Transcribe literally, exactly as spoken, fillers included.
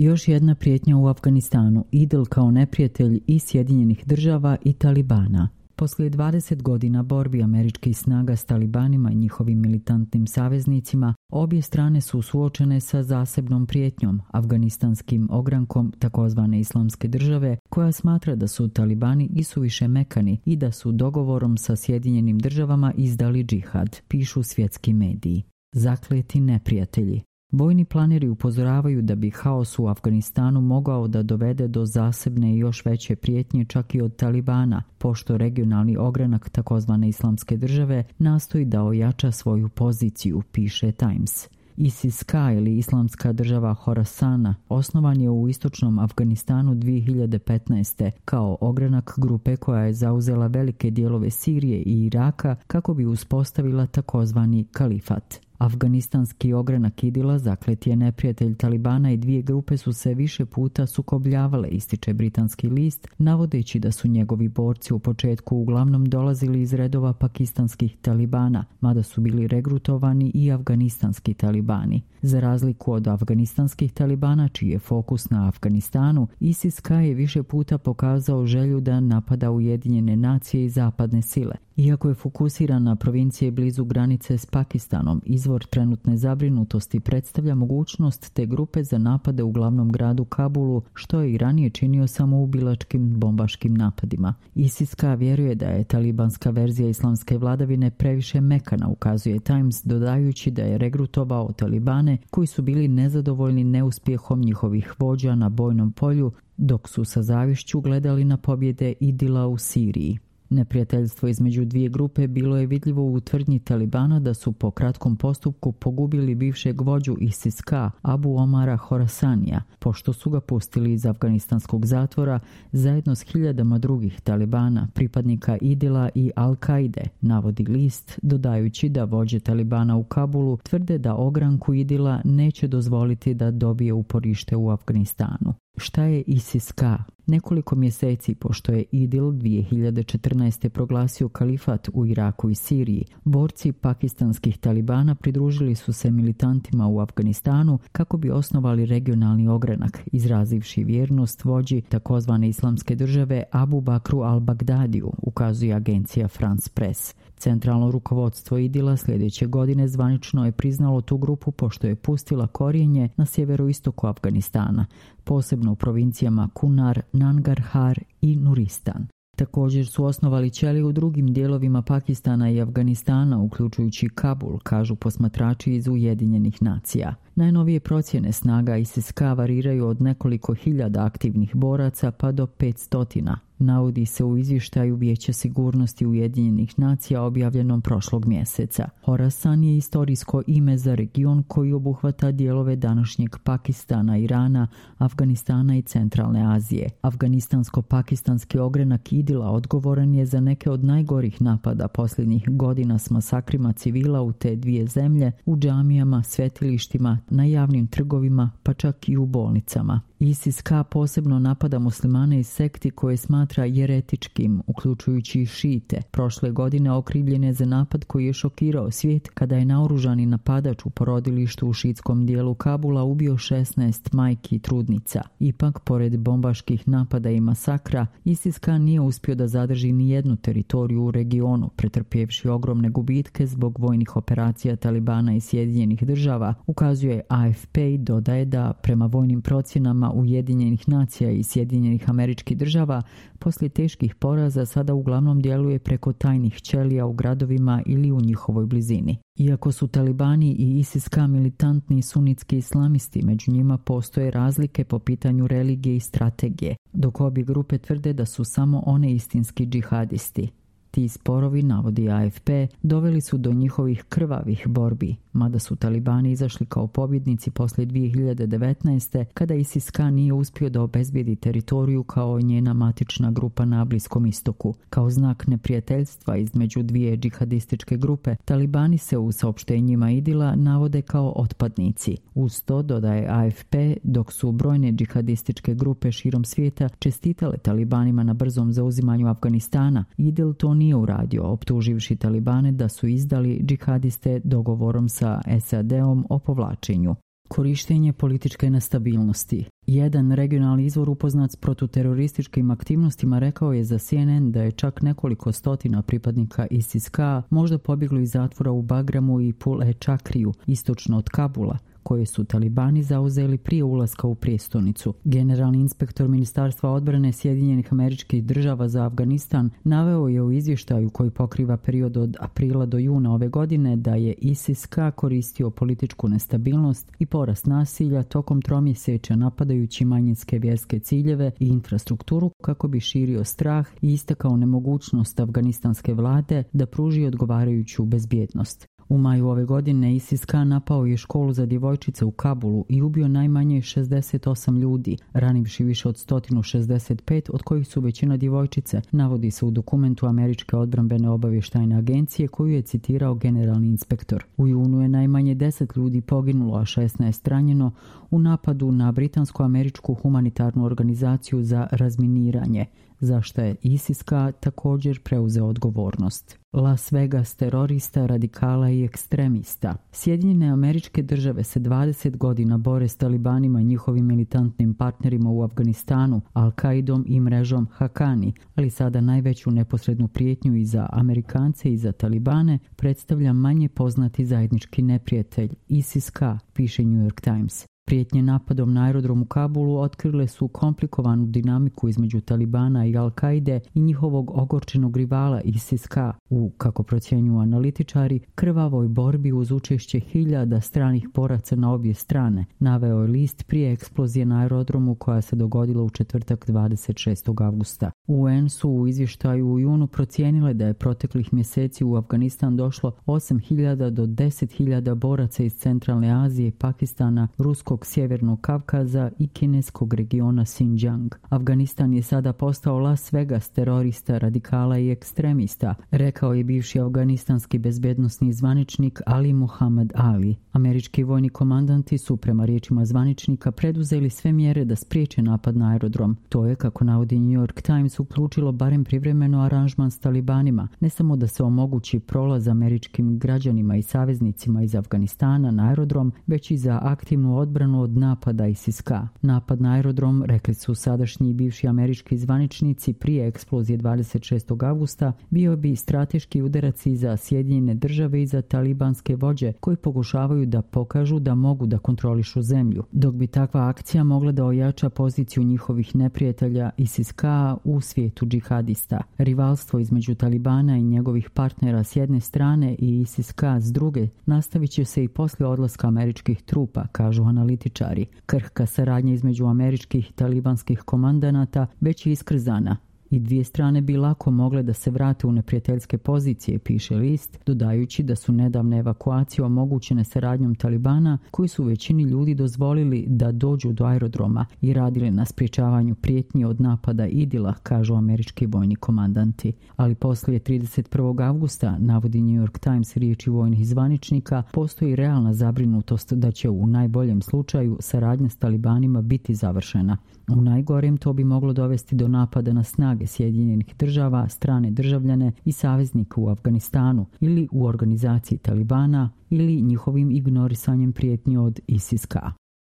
Još jedna prijetnja u Afganistanu, IDIL kao neprijatelj i Sjedinjenih država i Talibana. Poslije dvadeset godina borbi američkih snaga s Talibanima i njihovim militantnim saveznicima, obje strane su suočene sa zasebnom prijetnjom, afganistanskim ogrankom takozvane Islamske države, koja smatra da su Talibani isuviše mekani i da su dogovorom sa Sjedinjenim državama izdali džihad, pišu svjetski mediji. Zakleti neprijatelji. Vojni planeri upozoravaju da bi haos u Afganistanu mogao da dovede do zasebne i još veće prijetnje čak i od Talibana, pošto regionalni ogranak takozvane Islamske države nastoji da ojača svoju poziciju, piše Times. ISIS-K ili Islamska država Horasana osnovan je u istočnom Afganistanu dvije hiljade petnaeste. kao ogranak grupe koja je zauzela velike dijelove Sirije i Iraka kako bi uspostavila takozvani kalifat. Afganistanski ogranak IDIL-a zaklet je neprijatelj Talibana i dvije grupe su se više puta sukobljavale, ističe britanski list, navodeći da su njegovi borci u početku uglavnom dolazili iz redova pakistanskih Talibana, mada su bili regrutovani i afganistanski Talibani. Za razliku od afganistanskih Talibana, čiji je fokus na Afganistanu, ISIS-K je više puta pokazao želju da napada Ujedinjene nacije i zapadne sile. Iako je fokusiran na provincije blizu granice s Pakistanom, izvor trenutne zabrinutosti predstavlja mogućnost te grupe za napade u glavnom gradu Kabulu, što je i ranije činio samoubilačkim bombaškim napadima. ISIS-K vjeruje da je talibanska verzija islamske vladavine previše mekana, ukazuje Times, dodajući da je regrutovao Talibane koji su bili nezadovoljni neuspjehom njihovih vođa na bojnom polju, dok su sa zavišću gledali na pobjede IDIL-a u Siriji. Neprijateljstvo između dvije grupe bilo je vidljivo u tvrdnji Talibana da su po kratkom postupku pogubili bivšeg vođu ISIS-K, Abu Omara Horasanija, pošto su ga pustili iz afganistanskog zatvora zajedno s hiljadama drugih Talibana, pripadnika IDIL-a i Al-Kaide, navodi list, dodajući da vođe Talibana u Kabulu tvrde da ogranku IDIL-a neće dozvoliti da dobije uporište u Afganistanu. Šta je ISIS-K? Nekoliko mjeseci pošto je IDIL dvije hiljade četrnaeste. proglasio kalifat u Iraku i Siriji, borci pakistanskih Talibana pridružili su se militantima u Afganistanu kako bi osnovali regionalni ogranak, izrazivši vjernost vođi takozvane Islamske države Abu Bakru al-Bagdadiju, ukazuje agencija France Press. Centralno rukovodstvo IDIL-a sljedeće godine zvanično je priznalo tu grupu pošto je pustila korijenje na sjeveroistoku Afganistana, posebno u provincijama Kunar, Nangarhar i Nuristan. Također su osnovali ćelije u drugim dijelovima Pakistana i Afganistana, uključujući Kabul, kažu posmatrači iz Ujedinjenih nacija. Najnovije procjene snaga ISIS-K variraju od nekoliko hiljada aktivnih boraca pa do petstotina. Navodi se u izvještaju Vijeća sigurnosti Ujedinjenih nacija objavljenom prošlog mjeseca. Horasan je istorijsko ime za region koji obuhvata dijelove današnjeg Pakistana, Irana, Afganistana i centralne Azije. Afganistansko-pakistanski ogranak IDIL-a odgovoran je za neke od najgorih napada posljednjih godina s masakrima civila u te dvije zemlje, u džamijama, svetilištima, na javnim trgovima, pa čak i u bolnicama. ISIS-K posebno napada muslimane iz sekti koje smatra jeretičkim, uključujući i šite. Prošle godine okrivljen je za napad koji je šokirao svijet kada je naoružani napadač u porodilištu u šiitskom dijelu Kabula ubio šesnaest majki i trudnica. Ipak, pored bombaških napada i masakra, ISIS-K nije uspio da zadrži ni jednu teritoriju u regionu, pretrpjevši ogromne gubitke zbog vojnih operacija Talibana i Sjedinjenih država, ukazuje A F P i dodaje da, prema vojnim procjenama Ujedinjenih nacija i Sjedinjenih Američkih država, poslije teških poraza sada uglavnom djeluje preko tajnih ćelija u gradovima ili u njihovoj blizini. Iako su Talibani i ISIS-K militantni sunitski islamisti, među njima postoje razlike po pitanju religije i strategije, dok obje grupe tvrde da su samo one istinski džihadisti. Ti sporovi, navodi A F P, doveli su do njihovih krvavih borbi, mada su Talibani izašli kao pobjednici poslije dvije hiljade devetnaeste. kada ISIS-K nije uspio da obezbijedi teritoriju kao njena matična grupa na Bliskom istoku. Kao znak neprijateljstva između dvije džihadističke grupe, Talibani se u saopštenjima IDIL-a navode kao otpadnici. Uz to, dodaje A F P, dok su brojne džihadističke grupe širom svijeta čestitale Talibanima na brzom zauzimanju Afganistana, IDIL to nije uradio, optuživši Talibane da su izdali džihadiste dogovorom sa S A D-om o povlačenju. Korištenje političke nestabilnosti. Jedan regionalni izvor upoznat s protuterorističkim aktivnostima rekao je za C N N da je čak nekoliko stotina pripadnika ISIS-K možda pobjeglo iz zatvora u Bagramu i Pul-e-Čakriju, istočno od Kabula, koje su talibani zauzeli prije ulaska u prijestolnicu. Generalni inspektor Ministarstva odbrane Sjedinjenih Američkih Država za Afganistan naveo je u izvještaju koji pokriva period od aprila do juna ove godine da je ISIS-K koristio političku nestabilnost i porast nasilja tokom tromjesečja napadajući manjinske vjerske ciljeve i infrastrukturu kako bi širio strah i istakao nemogućnost afganistanske vlade da pruži odgovarajuću bezbjednost. U maju ove godine ISIS-K napao je školu za djevojčice u Kabulu i ubio najmanje šezdeset osam ljudi, ranivši više od sto šezdeset pet, od kojih su većina djevojčice, navodi se u dokumentu Američke odbrambene obavještajne agencije koju je citirao generalni inspektor. U junu je najmanje deset ljudi poginulo, a šesnaest ranjeno u napadu na britansko-američku humanitarnu organizaciju za razminiranje, za što je ISIS-K također preuzeo odgovornost. Las Vegas terorista, radikala i ekstremista. Sjedinjene Američke Države se dvadeset godina bore s talibanima i njihovim militantnim partnerima u Afganistanu, Al-Qaidom i mrežom Hakani, ali sada najveću neposrednu prijetnju i za Amerikance i za talibane predstavlja manje poznati zajednički neprijatelj, ISIS-K, piše New York Times. Prijetnje napadom na aerodrom u Kabulu otkrile su komplikovanu dinamiku između Talibana i Al-Kaide i njihovog ogorčenog rivala ISIS-K u, kako procjenjuju analitičari, krvavoj borbi uz učešće hiljada stranih boraca na obje strane, naveo je list prije eksplozije na aerodromu koja se dogodila u četvrtak dvadeset šestog avgusta. U en su u izvještaju u junu procijenile da je proteklih mjeseci u Afganistan došlo osam hiljada do deset hiljada boraca iz Centralne Azije, Pakistana, Ruskog Sjevernog Kavkaza i kineskog regiona Xinjiang. Afganistan je sada postao Las Vegas terorista, radikala i ekstremista, rekao je bivši afganistanski bezbednosni zvaničnik Ali Muhammad Ali. Američki vojni komandanti su, prema riječima zvaničnika, preduzeli sve mjere da spriječe napad na aerodrom. To je, kako navodi New York Times, uključilo barem privremeno aranžman s talibanima, ne samo da se omogući prolaz američkim građanima i saveznicima iz Afganistana na aerodrom, već i za aktivnu odbranu od napada ISIS-K. Napad na aerodrom, rekli su sadašnji i bivši američki zvaničnici prije eksplozije dvadeset šestog avgusta, bio bi strateški udarac i za Sjedinjene Države i za talibanske vođe koji pokušavaju da pokažu da mogu da kontrolišu zemlju, dok bi takva akcija mogla da ojača poziciju njihovih neprijatelja ISIS-K u svijetu džihadista. Rivalstvo između Talibana i njegovih partnera s jedne strane i ISIS-K s druge nastavit će se i poslije odlaska američkih trupa, kažu analitičari. Krhka saradnja između američkih i talibanskih komandanata već je iskrzana i dvije strane bi lako mogle da se vrate u neprijateljske pozicije, piše list, dodajući da su nedavne evakuacije omogućene saradnjom Talibana, koji su većini ljudi dozvolili da dođu do aerodroma i radili na sprječavanju prijetnji od napada Idila, kažu američki vojni komandanti. Ali poslije trideset prvog avgusta, navodi New York Times riječi vojnih zvaničnika, postoji realna zabrinutost da će u najboljem slučaju saradnja s Talibanima biti završena. U najgorem to bi moglo dovesti do napada na snage Sjedinjenih Država, strane državljane i saveznika u Afganistanu ili u organizaciji Talibana ili njihovim ignorisanjem prijetnji od ISIS-K.